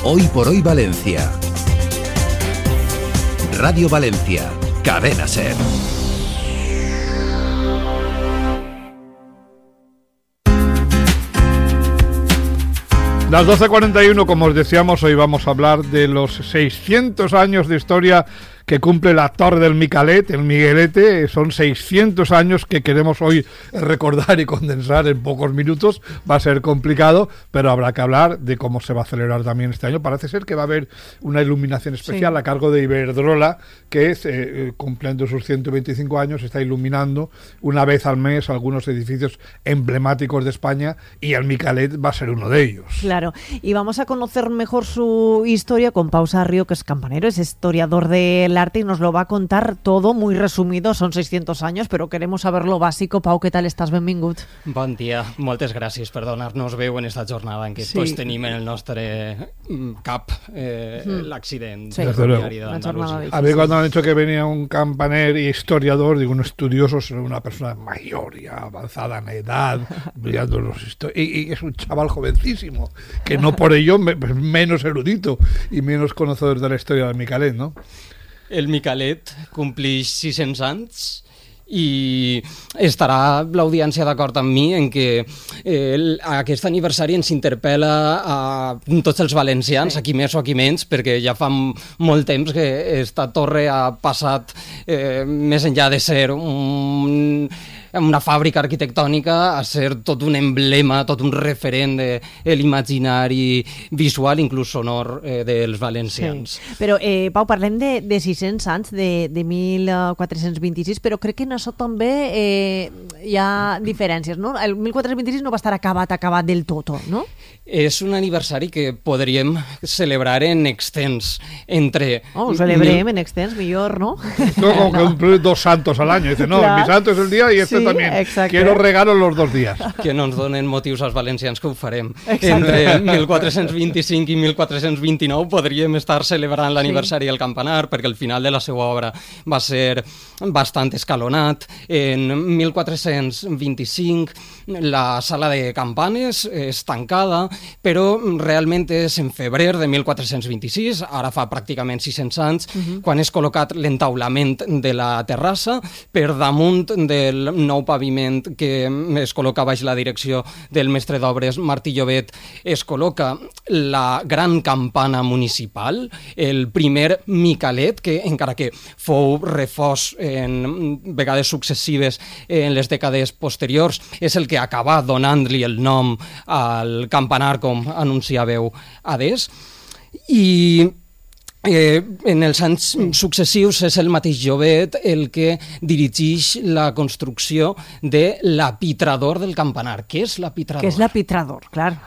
Hoy por hoy Valencia. Radio Valencia, Cadena SER. Las 12:41, como os decíamos, hoy vamos a hablar de los 600 años de historia que cumple la Torre del Micalet, el Miguelete. Son 600 años que queremos hoy recordar y condensar en pocos minutos. Va a ser complicado, pero habrá que hablar de cómo se va a celebrar también este año. Parece ser que va a haber una iluminación especial a cargo de Iberdrola, que cumpliendo sus 125 años está iluminando una vez al mes algunos edificios emblemáticos de España, y el Micalet va a ser uno de ellos. Claro, y vamos a conocer mejor su historia con Pau Sarrio, que es campanero, es historiador del arte y nos lo va a contar todo muy resumido. Son 600 años, però queremos saber lo básico. Pau, què tal estàs? Benvingut. Bon dia, moltes gràcies per donar-nos veu en esta jornada en què tots tenim en el nostre cap l'accident ferroviari d'Andalusia. A mí cuando han dicho que venía un campanero y historiador, digo, un estudioso, una persona mayor, ya avanzada en edad, brillando y es un chaval jovencísimo, que no por ello menos erudito y menos conocedor de la historia del Micalet, ¿no? El Micalet complix 600 anys i estarà l'audiència d'acord amb mi en que aquest aniversari ens interpel·la a tots els valencians, aquí més o aquí menys, perquè ja fa molt temps que esta torre ha passat més enllà de ser una fàbrica arquitectònica a ser tot un emblema, tot un referent de l'imaginari visual, inclús sonor, dels valencians. Sí. Però, Pau, parlem de 600 anys, de 1426, però crec que en això també hi ha diferències, no? El 1426 no va estar acabat del tot, no? És un aniversari que podríem celebrar en extens entre... Oh, ho celebrem en extens, millor, ¿no? No, como que cumplir 2 santos al año. Dice, no, claro. Mi santo es el día y este también. Exacte. Quiero regalos los 2 días. Que no ens donen motius als valencians que ho farem. Entre 1425 i 1429 podríem estar celebrant l'aniversari del campanar, perquè el final de la seva obra va ser bastant escalonat. En 1425 la sala de campanes és tancada, però realment és en febrer de 1426, ara fa pràcticament 600 anys, quan és col·locat l'entaulament de la terrassa per damunt del nou paviment que es col·loca baix la direcció del mestre d'obres Martí Llobet. Es col·loca la gran campana municipal, el primer Micalet, que encara que fou refós en vegades successives en les dècades posteriors, és el que acaba donant-li el nom al campanar, com anunciàveu adés. I en els anys successius és el mateix Llobet el que dirigeix la construcció de l'apitrador del campanar. Què és l'apitrador? Què és l'apitrador, clar.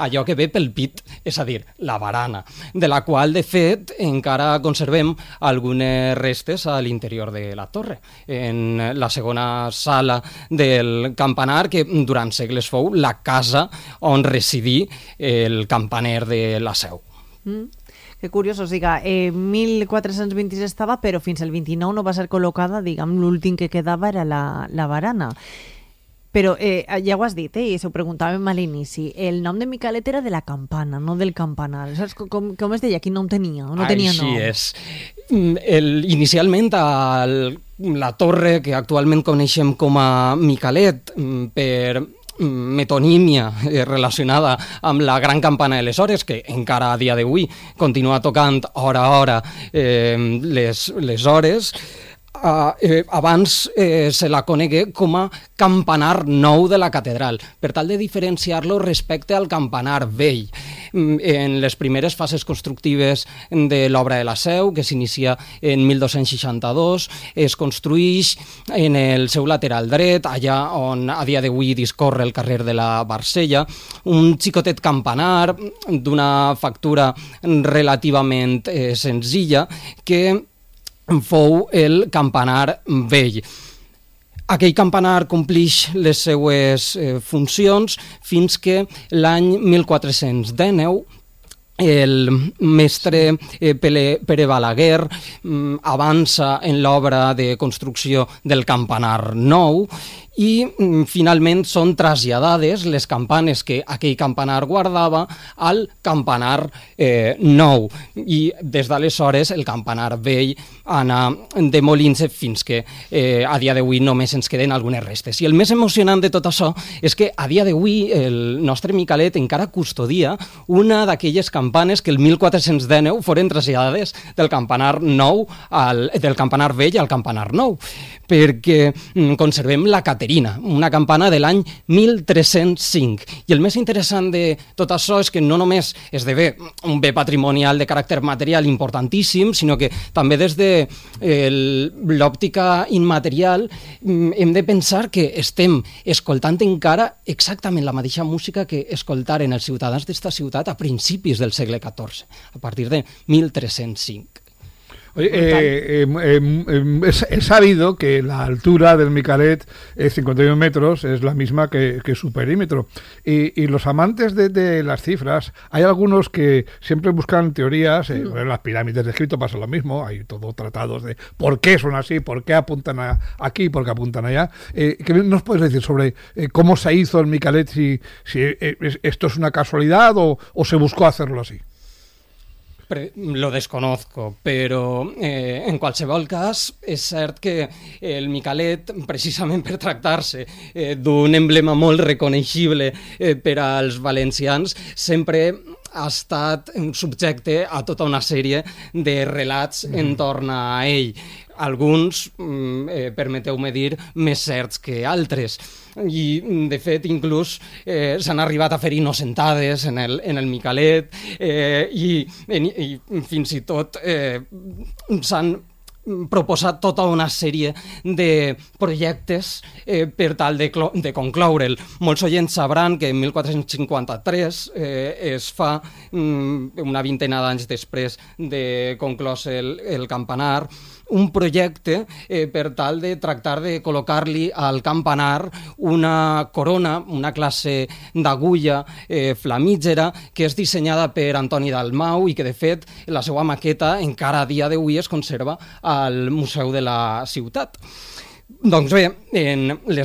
Allò que ve pel pit, és a dir, la barana, de la qual, de fet, encara conservem algunes restes a l'interior de la torre. En la segona sala del campanar, que durant segles fou la casa on residí el campaner de la Seu. Que curiós, o sigui, 1426 estava, però fins al 29 no va ser col·locada, diguem, l'últim que quedava era la barana. Però ja ho has dit, i s'ho preguntàvem a l'inici, el nom de Micalet era de la campana, no del campanar. Saps com es deia? Quin nom tenia? No tenia nom. Així és. Inicialment, la torre, que actualment coneixem com a Micalet, per metonímia relacionada amb la gran campana de les hores, que encara a dia d'avui continua tocant hora a hora les hores, abans se la conegué com a campanar nou de la catedral, per tal de diferenciar-lo respecte al campanar vell. En les primeres fases constructives de l'obra de la Seu, que s'inicia en 1262, es construïx en el seu lateral dret, allà on a dia d'avui discorre el carrer de la Barcella, un xicotet campanar d'una factura relativament senzilla, que fou el campanar vell. Aquell campanar complix les seues funcions fins que l'any 1419 el mestre Pere Balaguer avança en l'obra de construcció del campanar nou i finalment són traslladades les campanes que aquell campanar guardava al campanar nou, i des d'aleshores el campanar vell anà demolint-se fins que a dia d'avui només ens queden algunes restes. I el més emocionant de tot això és que a dia d'avui el nostre Micalet encara custodia una d'aquelles campanes que el 1419 foren traslladades del campanar vell al campanar nou, perquè conservem la Caterina, una campana de l'any 1305. I el més interessant de tot això és que no només esdevé un bé patrimonial de caràcter material importantíssim, sinó que també des de l'òptica immaterial hem de pensar que estem escoltant encara exactament la mateixa música que escoltaren els ciutadans d'esta ciutat a principis del segle XIV, a partir de 1305. Oye, he sabido que la altura del Micalet, 51 metros, es la misma que su perímetro. Y los amantes de las cifras, hay algunos que siempre buscan teorías, en las pirámides de Egipto pasa lo mismo, hay todo tratados de por qué son así, por qué apuntan aquí, por qué apuntan allá. ¿Qué nos puedes decir sobre cómo se hizo el Micalet, si esto es una casualidad o se buscó hacerlo así? Lo desconozco, però en qualsevol cas és cert que el Micalet, precisament per tractar-se d'un emblema molt reconeixible per als valencians, sempre ha estat subjecte a tota una sèrie de relats entorn a ell. Alguns, permeteu-me dir, més certs que altres. I, de fet, inclús s'han arribat a fer innocentades en el Micalet i fins i tot s'han proposat tota una sèrie de projectes per tal de concloure'l. Molts oients sabran que en 1453 es fa, una vintena d'anys després de conclòs el campanar, un projecte per tal de tractar de col·locar-li al campanar una corona, una classe d'agulla flamígera que és dissenyada per Antoni Dalmau i que, de fet, la seva maqueta encara a dia d'avui es conserva al Museu de la Ciutat. Doncs bé, en els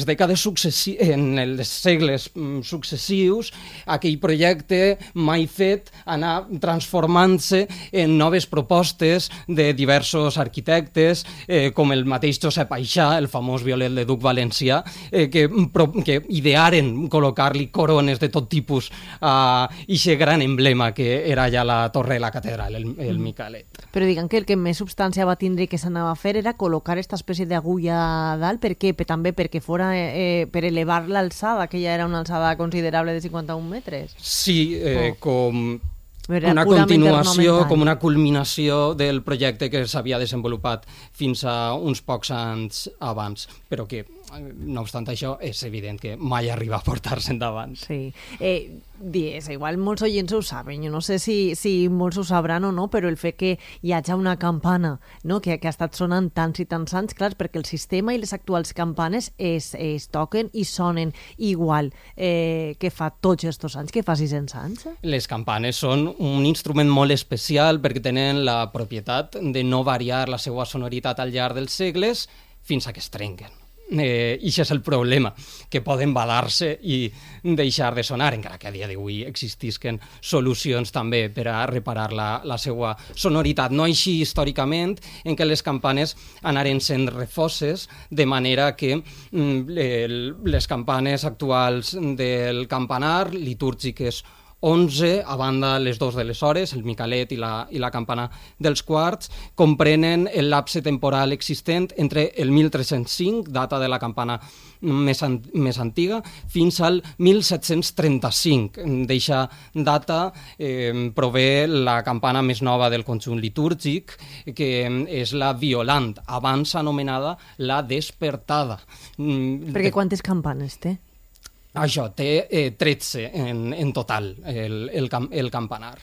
segles successius, aquell projecte mai fet anà transformant-se en noves propostes de diversos arquitectes, com el mateix Josep Aixà, el famós violel de duc valencià, que idearen col·locar-li corones de tot tipus a aquest gran emblema que era ja la torre de la catedral, el Micalet. Però diguem que el que més substància va tindre que s'anava a fer era col·locar aquesta espècie d'agulla dalt, per què? També perquè fora per elevar l'alçada, que ja era una alçada considerable de 51 metres. Sí, com una continuació, com una culminació del projecte que s'havia desenvolupat fins a uns pocs anys abans, però que, no obstant això, és evident que mai arriba a portar-se endavant. Sí. Igual molts oients ho saben, jo no sé si molts ho sabran o no, però el fet que hi hagi una campana, no, que ha estat sonant tants i tants anys, clar, perquè el sistema i les actuals campanes es toquen i sonen igual que fa tots aquests anys, que fa 600 anys. Les campanes són un instrument molt especial perquè tenen la propietat de no variar la seva sonoritat al llarg dels segles fins a que es trenquen. I això és el problema, que poden badar-se i deixar de sonar, encara que a dia d'avui existisquen solucions també per a reparar la seva sonoritat. No així històricament, en què les campanes anaren sent refoses, de manera que les campanes actuals del campanar, litúrgiques 11, a banda les dos de les hores, el Micalet i la campana dels quarts, comprenen el lapse temporal existent entre el 1305, data de la campana més antiga, fins al 1735. D'eixa data prové la campana més nova del conjunt litúrgic, que és la violant, abans anomenada la despertada. Perquè quantes campanes té? Això, té 13 en total, el campanar.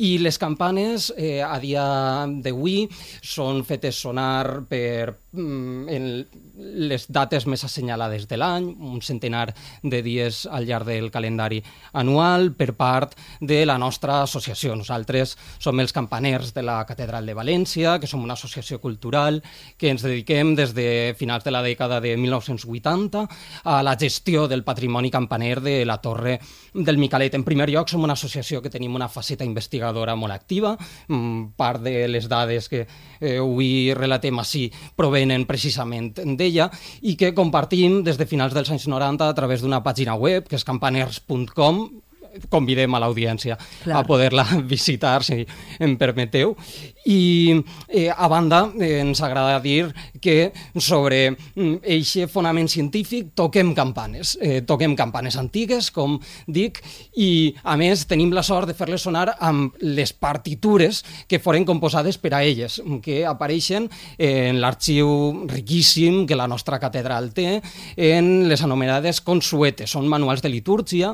I les campanes, a dia d'avui, són fetes sonar per en les dates més assenyalades de l'any, un centenar de dies al llarg del calendari anual per part de la nostra associació. Nosaltres som els campaners de la Catedral de València, que som una associació cultural que ens dediquem des de finals de la dècada de 1980 a la gestió del patrimoni campaner de la Torre del Micalet. En primer lloc, som una associació que tenim una faceta investigadora molt activa. Part de les dades que avui relatem així provenen precisament d'ella i que compartim des de finals dels anys 90 a través d'una pàgina web que és campaners.com. Convidem a l'audiència a poder-la visitar, si em permeteu. I, a banda, ens agrada dir que sobre eixe fonament científic toquem campanes antigues, com dic, i, a més, tenim la sort de fer-les sonar amb les partitures que foren composades per a elles, que apareixen en l'arxiu riquíssim que la nostra catedral té, en les anomenades consuetes. Són manuals de litúrgia,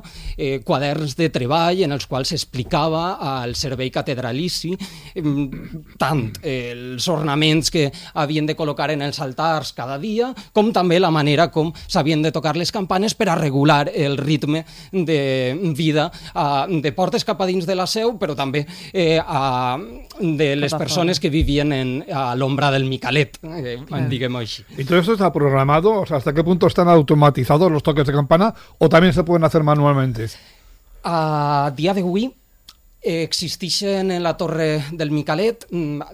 quaderns de treball en els quals s'explicava al servei catedralici tant els ornaments que havien de col·locar en els altars cada dia, com també la manera com s'havien de tocar les campanes per a regular el ritme de vida de portes cap a dins de la seu, però també de les persones que vivien a l'ombra del Micalet, diguem-ho així. ¿Y todo esto está programado? O sea, ¿hasta qué punto están automatizados los toques de campana o también se pueden hacer manualmente? A dia d'avui existeixen en la Torre del Micalet,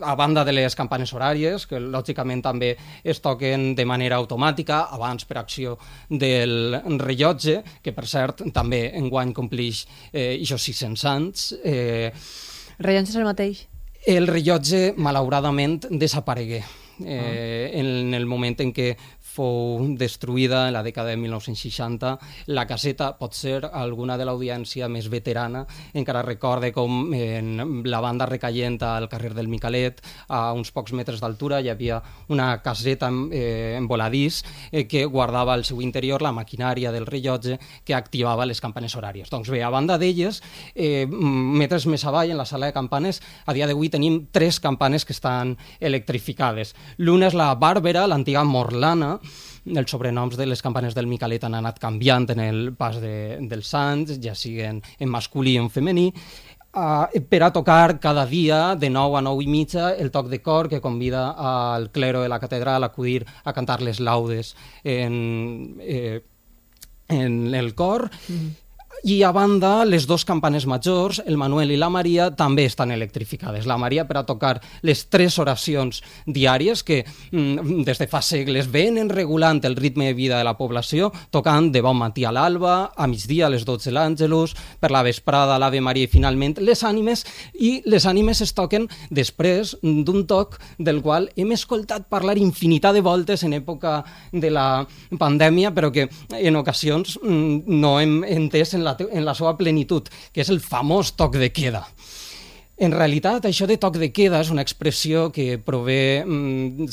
a banda de les campanes horàries, que lògicament també es toquen de manera automàtica, abans per acció del rellotge, que per cert també enguany complix ixos 600 anys. Rellotge és el mateix? El rellotge, malauradament, desaparegué en el moment en què fou destruïda en la dècada de 1960. La caseta, potser alguna de l'audiència més veterana encara recorde com en la banda recaient al carrer del Micalet, a uns pocs metres d'altura, hi havia una caseta en voladís que guardava al seu interior la maquinària del rellotge que activava les campanes horàries. Doncs bé, a banda d'elles, metres més avall, en la sala de campanes, a dia d'avui tenim 3 campanes que estan electrificades. L'una és la Bàrbara, l'antiga Morlana. Els sobrenoms de les campanes del Micalet han anat canviant en el pas dels anys, ja siguen en masculí o en femení, per a tocar cada dia de 9 a 9 i mitja el toc de cor que convida al clero de la catedral a acudir a cantar les laudes en el cor. I a banda, les 2 campanes majors, el Manuel i la Maria, també estan electrificades. La Maria per a tocar les 3 oracions diàries que des de fa segles venen regulant el ritme de vida de la població, tocant de bon matí a l'alba, a migdia a les 12 l'Àngelus, per la vesprada l'Ave Maria i finalment les ànimes, i les ànimes es toquen després d'un toc del qual hem escoltat parlar infinitat de voltes en època de la pandèmia, però que en ocasions no hem entès en la seva plenitud, que és el famós toc de queda. En realitat, això de toc de queda és una expressió que prové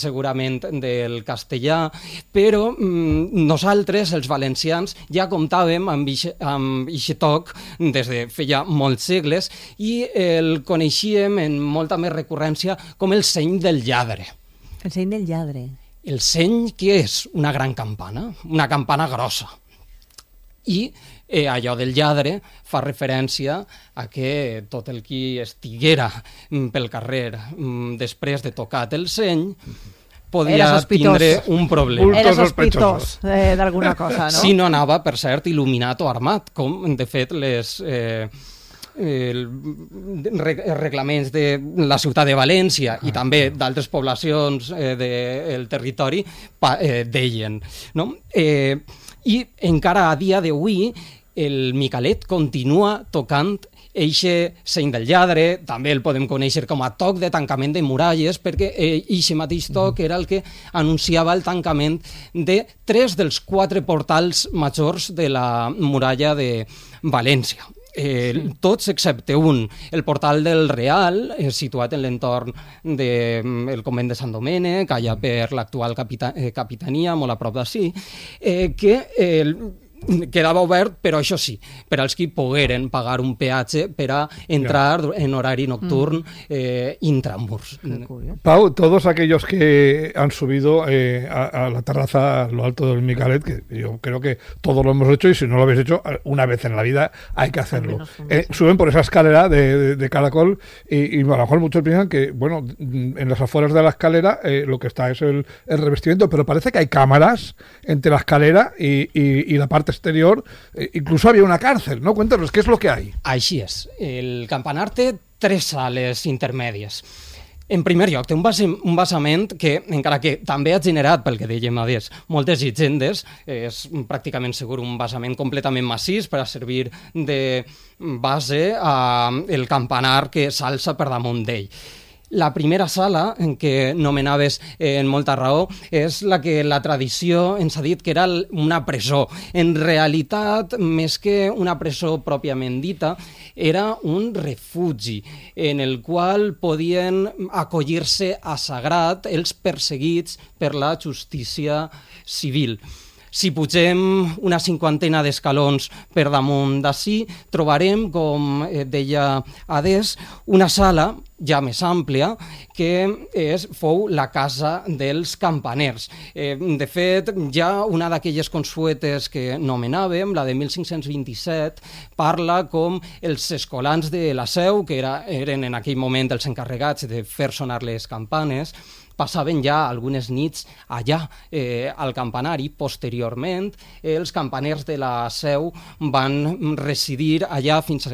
segurament del castellà, però nosaltres, els valencians, ja comptàvem amb aquest toc des de feia molts segles i el coneixíem en molta més recurrència com el seny del lladre. El seny del lladre. El seny, què és? Una gran campana, una campana grossa. I allò del lladre fa referència a que tot el qui estiguera pel carrer després de tocat el seny podia tindre un problema. Era sospitós d'alguna cosa, no? Si no anava, per cert, il·luminat o armat, com de fet les reglaments de la ciutat de València i també d'altres poblacions del territori deien, no? I encara a dia d'avui el Micalet continua tocant eixe seny del lladre, també el podem conèixer com a toc de tancament de muralles, perquè eixe mateix toc era el que anunciava el tancament de 3 dels 4 portals majors de la muralla de València. Tots excepte un, el portal del Real, situat en l'entorn del convent de Sant Domènec, allà per l'actual capitania, molt a prop d'ací, que quedava obert, però això sí, per als qui pogueren pagar un peatge per a entrar en horari nocturn intramurs. Pau, todos aquellos que han subido a la terraza, a lo alto del Micalet, que yo creo que todos lo hemos hecho, y si no lo habéis hecho, una vez en la vida hay que hacerlo. Suben por esa escalera de caracol y a lo mejor muchos piensan que, bueno, en las afueras de la escalera lo que está es el revestimiento, pero parece que hay cámaras entre la escalera y la parte exterior, incluso había una cárcel, ¿no? Cuéntanos, ¿qué es lo que hay? Així és. El campanar té 3 sales intermèdies. En primer lloc, té un basament que, encara que també ha generat, pel que dèiem adés, moltes llegendes, és pràcticament segur un basament completament massís per a servir de base al campanar que s'alça per damunt d'ell. La primera sala, en què nomenaves en molta raó, és la que la tradició ens ha dit que era una presó. En realitat, més que una presó pròpiament dita, era un refugi en el qual podien acollir-se a sagrat els perseguits per la justícia civil. Si pugem una 50 d'escalons per damunt d'ací, trobarem, com deia Adés, una sala ja més àmplia, que fou la casa dels campaners. De fet, ja una d'aquelles consuetes que nomenàvem, la de 1527, parla com els escolans de la Seu, que eren en aquell moment els encarregats de fer sonar les campanes, passaven ja algunes nits allà al campanari. Posteriorment, els campaners de la Seu van residir allà fins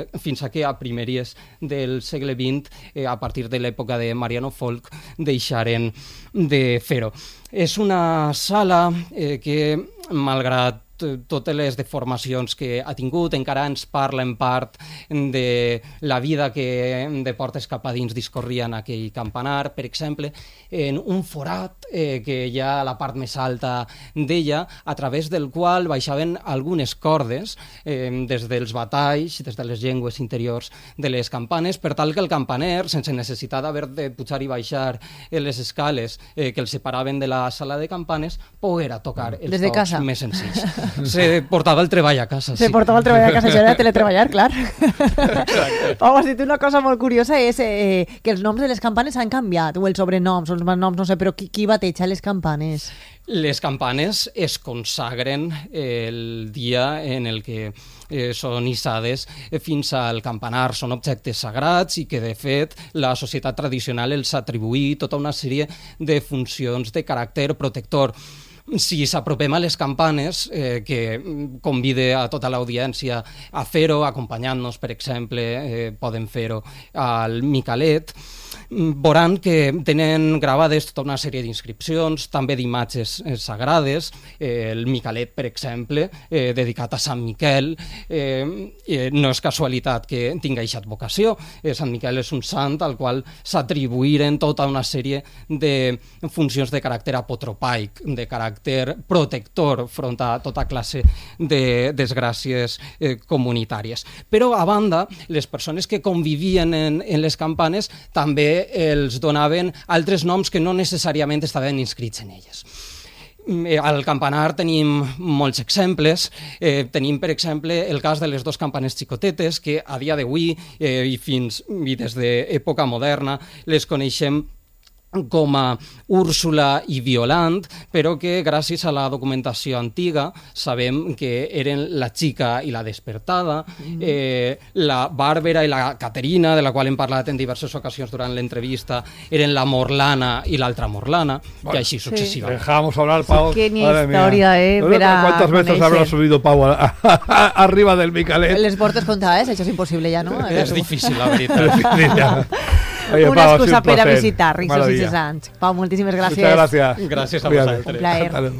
a que a primeries del segle XX, a partir de l'època de Mariano Folk, deixaren de fer-ho. És una sala que, malgrat totes les deformacions que ha tingut, encara ens parla en part de la vida que de portes cap a dins discorria en aquell campanar, per exemple, en un forat que hi ha a la part més alta d'ella, a través del qual baixaven algunes cordes des dels batalls, des de les llengües interiors de les campanes, per tal que el campaner, sense necessitat d'haver de pujar i baixar les escales que el separaven de la sala de campanes, poguera tocar els tocs més senzills. Se portava el treball a casa. Se portava el treball a casa, això era teletreballar, clar. Pau, has dit una cosa molt curiosa, és que els noms de les campanes han canviat, o els sobrenoms, o els noms, no sé, però qui bateja les campanes? Les campanes es consagren el dia en el que són hissades fins al campanar. Són objectes sagrats i que, de fet, la societat tradicional els atribuïa tota una sèrie de funcions de caràcter protector. Si s'apropem a les campanes, que convide a tota l'audiència a fer-ho, acompanyant-nos, per exemple, poden fer-ho al Micalet, veuran que tenen gravades tota una sèrie d'inscripcions, també d'imatges sagrades. El Micalet, per exemple, dedicat a Sant Miquel, no és casualitat que tingui aquesta advocació. Sant Miquel és un sant al qual s'atribuïren tota una sèrie de funcions de caràcter apotropaic, de caràcter protector front a tota classe de desgràcies comunitàries. Però, a banda, les persones que convivien en les campanes també els donaven altres noms que no necessàriament estaven inscrits en elles. Al campanar tenim molts exemples. Tenim, per exemple, el cas de les 2 campanes xicotetes, que a dia d'avui i des d'època moderna les coneixem com a Úrsula i Violant, però que gràcies a la documentació antiga sabem que eren la Xica i la Despertada, la Bàrbara i la Caterina, de la qual hem parlat en diverses ocasions durant l'entrevista, eren la Morlana i l'altra Morlana, i així successivament. Dejamos hablar, Pau. Qué historia, ¿Cuántas veces habrá subido Pau arriba del Micalet? Les portes contades, això és impossible ja, no? És difícil, la veritat. Oye, una Pau, excusa per a visitar Maravilla. Rixos i Cesants. Pau, moltíssimes gràcies. Muchas gracias. Gràcies a vosaltres. Un plaer.